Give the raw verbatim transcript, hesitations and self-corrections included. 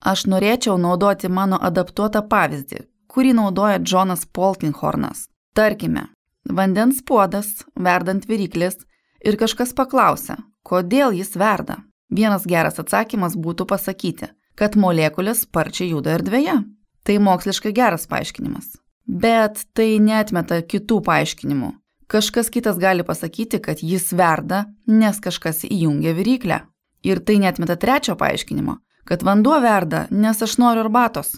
Aš norėčiau naudoti mano adaptuotą pavyzdį, kurį naudoja Džonas Polkinghornas. Tarkime, vandens puodas, verdant viryklis ir kažkas paklausia, kodėl jis verda. Vienas geras atsakymas būtų pasakyti, kad molekulės sparčiai juda erdvėje. Tai moksliškai geras paaiškinimas. Bet tai neatmeta kitų paaiškinimų. Kažkas kitas gali pasakyti, kad jis verda, nes kažkas įjungia viryklę. Ir tai neatmeta trečio paaiškinimo, kad vanduo verda, nes aš noriu arbatos.